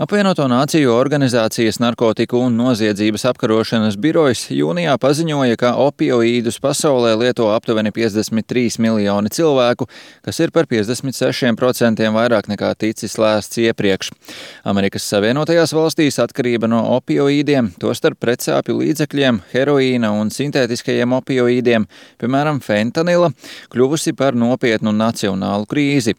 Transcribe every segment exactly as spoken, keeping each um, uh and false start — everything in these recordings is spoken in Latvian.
Apvienoto Nāciju organizācijas narkotiku un noziedzības apkarošanas birojs jūnijā paziņoja, ka opioīdus pasaulē lieto aptuveni piecdesmit trīs miljoni cilvēku, kas ir par piecdesmit sešiem procentiem vairāk nekā ticis lēsts iepriekš. Amerikas Savienotajās valstīs atkarība no opioīdiem, tostarp pretsāpju līdzekļiem, heroīna un sintētiskajiem opioīdiem, piemēram fentanila, kļuvusi par nopietnu nacionālu krīzi.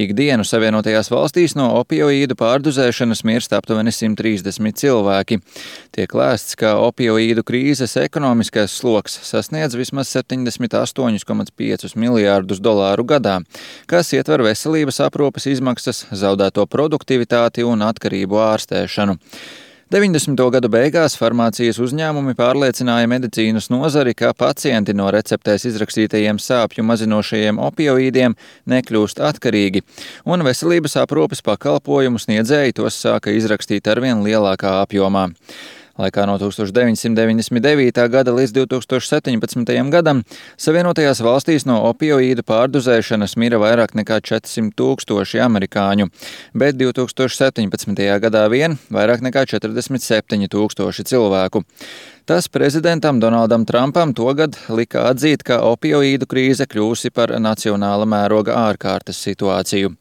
Ikdienu Savienotajās valstīs no opioīdu pārdozēšanas mirst aptuveni simt trīsdesmit cilvēki. Tiek lēsts, ka opioīdu krīzes ekonomiskais sloks sasniedz vismaz septiņdesmit astoņi komats pieci miljārdus dolāru gadā, kas ietver veselības aprūpes izmaksas, zaudēto produktivitāti un atkarību ārstēšanu. deviņdesmito gadu beigās farmācijas uzņēmumi pārliecināja medicīnas nozari, ka pacienti no receptēs izrakstītajiem sāpju mazinošajiem opioīdiem nekļūst atkarīgi, un veselības aprūpes pakalpojumu sniedzēji tos sāka izrakstīt arvien lielākā apjomā. Laikā no tūkstoš deviņsimt deviņdesmit devītā gada līdz divtūkstoš septiņpadsmitajam gadam Savienotajās valstīs no opioīdu pārdozēšanas mira vairāk nekā četrsimt tūkstoši amerikāņu, bet divtūkstoš septiņpadsmitajā gadā vien vairāk nekā četrdesmit septiņi tūkstoši cilvēku. Tas prezidentam Donaldam Trumpam togad lika atzīt, ka opioīdu krīze kļūsi par nacionāla mēroga ārkārtas situāciju.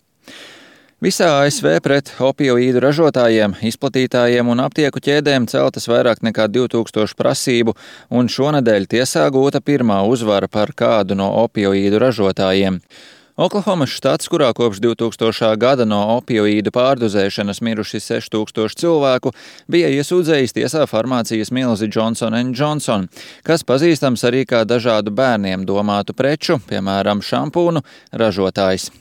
Visā A S V pret opioīdu ražotājiem, izplatītājiem un aptieku ķēdēm celtas vairāk nekā divtūkstoši prasību, un šonedēļ tiesā gūta pirmā uzvara par kādu no opioīdu ražotājiem. Oklahomas štats, kurā kopš divtūkstošā gada no opioīdu pārdozēšanas miruši seši tūkstoši cilvēku, bija iesūdzējis tiesā farmācijas milzi Johnson and Johnson, kas pazīstams arī kā dažādu bērniem domātu preču, piemēram, šampūnu ražotājs.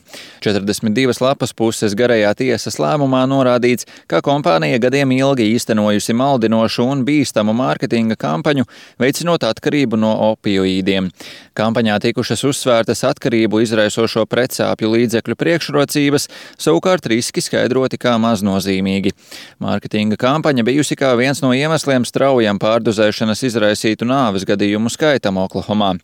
četrdesmit divas lapas puses garajā tiesas lēmumā norādīts, ka kompānija gadiem ilgi īstenojusi maldinošu un bīstamu mārketinga kampaņu, veicinot atkarību no opioīdiem. Kampaņā tikušas uzsvērtas atkarību izraisošo pretsāpju līdzekļu priekšrocības, savukārt riski skaidroti kā maznozīmīgi. Mārketinga kampaņa bijusi kā viens no iemesliem straujam pārdozēšanas izraisītu nāves gadījumu skaitam Oklahomā.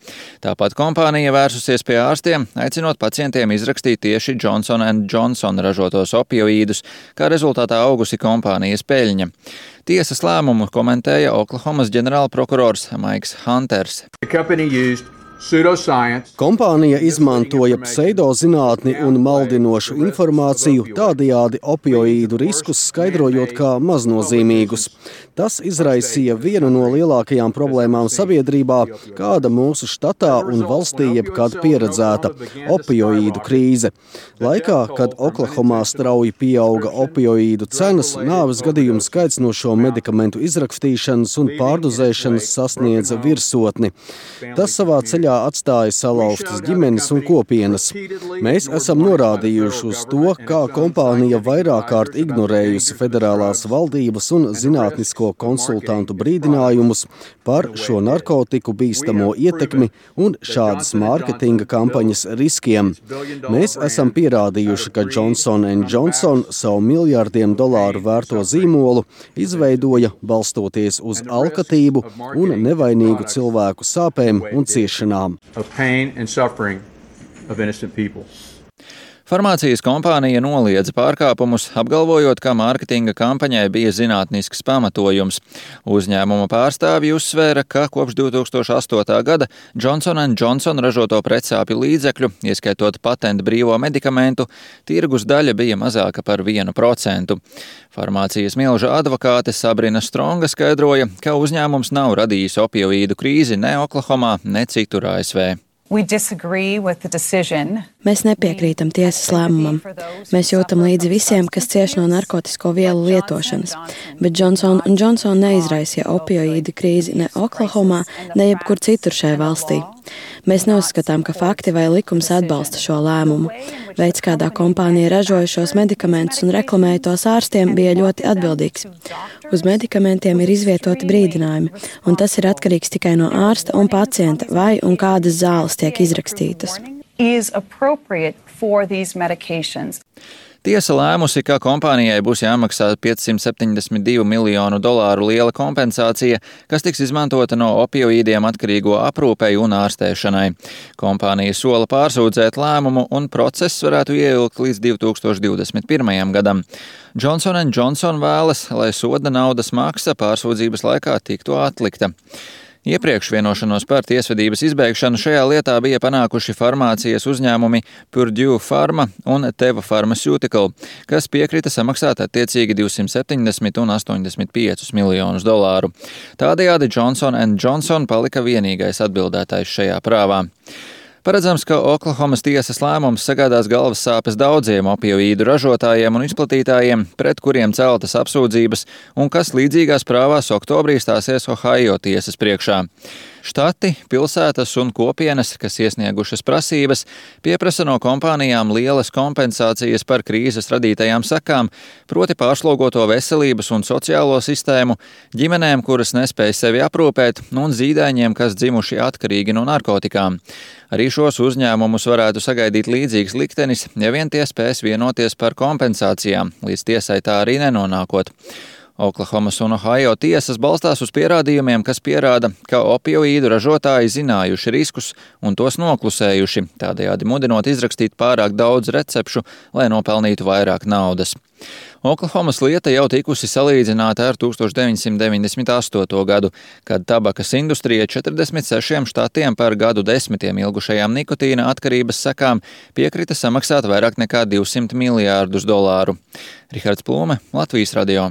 Tāpat kompānija vērsusies pie ārstiem, aicinot pacientiem izrakstīt tieši Johnson and Johnson ražotos opioīdus, kā rezultātā augusi kompānijas peļņa. Tiesas lēmumu komentēja Oklahomas ģenerālprokurors Maiks Hunters. Kompānija izmantoja pseidozinātni un maldinošu informāciju, tādējādi opioīdu riskus skaidrojot kā maznozīmīgus. Tas izraisīja vienu no lielākajām problēmām sabiedrībā, kāda mūsu štatā un valstī jebkad pieredzēta - opioīdu krīze. Laikā, kad Oklahomā strauji pieauga opioīdu cenas, nāves gadījumu skaits no šo medikamentu izrakstīšanas un pārdozēšanas sasniedza virsotni. Tas savā ceļā atstāja salauztas ģimenes un kopienas. Mēs esam norādījuši uz to, kā kompānija vairāk kārt ignorējusi federālās valdības un zinātnisko konsultantu brīdinājumus par šo narkotiku bīstamo ietekmi un šādas mārketinga kampaņas riskiem. Mēs esam pierādījuši, ka Johnson and Johnson savu miljardiem dolāru vērto zīmolu izveidoja balstoties uz alkatību un nevainīgu cilvēku sāpēm un ciešanām. Farmācijas kompānija noliedza pārkāpumus, apgalvojot, ka mārketinga kampaņai bija zinātnisks pamatojums. Uzņēmuma pārstāvji uzsvēra, ka kopš divtūkstoš astotā gada Johnson and Johnson ražoto pretsāpju līdzekļu, ieskaitot patentu brīvo medikamentu, tirgus daļa bija mazāka par vienu procentu. Farmācijas milža advokāte Sabrina Stronga skaidroja, ka uzņēmums nav radījis opioīdu krīzi ne Oklahomā, ne citur A S V. Mēs nepiekrītam tiesas lēmumam. Mēs jūtam līdzi visiem, kas cieš no narkotisko vielu lietošanas, bet Johnson and Johnson neizraisīja opioīdu krīzi ne Oklahomā, ne jebkur citur šajā valstī. Mēs neuzskatām, ka fakti vai likums atbalsta šo lēmumu. Veids, kādā kompānija ražoja šos medikamentus un reklamēja tos ārstiem, bija ļoti atbildīgs. Uz medikamentiem ir izvietoti brīdinājumi, un tas ir atkarīgs tikai no ārsta un pacienta, vai un kādas zāles tiek izrakstītas. Tiesa lēmusi, ka kompānijai būs jāmaksā piecsimt septiņdesmit divu miljonu dolāru liela kompensācija, kas tiks izmantota no opioīdiem atkarīgo aprūpei un ārstēšanai. Kompānija sola pārsūdzēt lēmumu un process varētu ieilgt līdz divi tūkstoši divdesmit pirmajam gadam. Johnson and Johnson vēlas, lai soda naudas maksa pārsūdzības laikā tiktu atlikta. Iepriekš vienošanos par tiesvedības izbeigšanu šajā lietā bija panākuši farmācijas uzņēmumi Purdue Pharma un Teva Pharmaceutical, kas piekrita samaksāt attiecīgi divsimt septiņdesmit un astoņdesmit piecus miljonus dolāru. Tādējādi Johnson and Johnson palika vienīgais atbildētājs šajā prāvā. Paredzams, ka Oklahomas tiesas lēmums sagādās galvas sāpes daudziem opioīdu ražotājiem un izplatītājiem, pret kuriem celtas apsūdzības un kas līdzīgās prāvās oktobrī stāsies Ohio tiesas priekšā. Štati, pilsētas un kopienas, kas iesniegušas prasības, pieprasa no kompānijām lielas kompensācijas par krīzes radītajām sekām, proti pārslogoto veselības un sociālo sistēmu, ģimenēm, kuras nespēj sevi aprūpēt, un zīdaiņiem, kas dzimuši atkarīgi no narkotikām. Arī šos uzņēmumus varētu sagaidīt līdzīgs liktenis, ja vien tie spēs vienoties par kompensācijām, līdz tiesai tā arī nenonākot. Oklahomas un Ohio tiesas balstās uz pierādījumiem, kas pierāda, ka opioīdu ražotāji zinājuši riskus un tos noklusējuši, tādējādi mudinot izrakstīt pārāk daudz recepšu, lai nopelnītu vairāk naudas. Oklahomas lieta jau tikusi salīdzināta ar tūkstoš deviņsimt deviņdesmit astoto gadu, kad tabakas industrija četrdesmit sešiem štatiem par gadu desmitiem ilgušajām nikotīna atkarības sekām piekrita samaksāt vairāk nekā divsimt miljārdus dolāru. Rihards Plūme, Latvijas radio.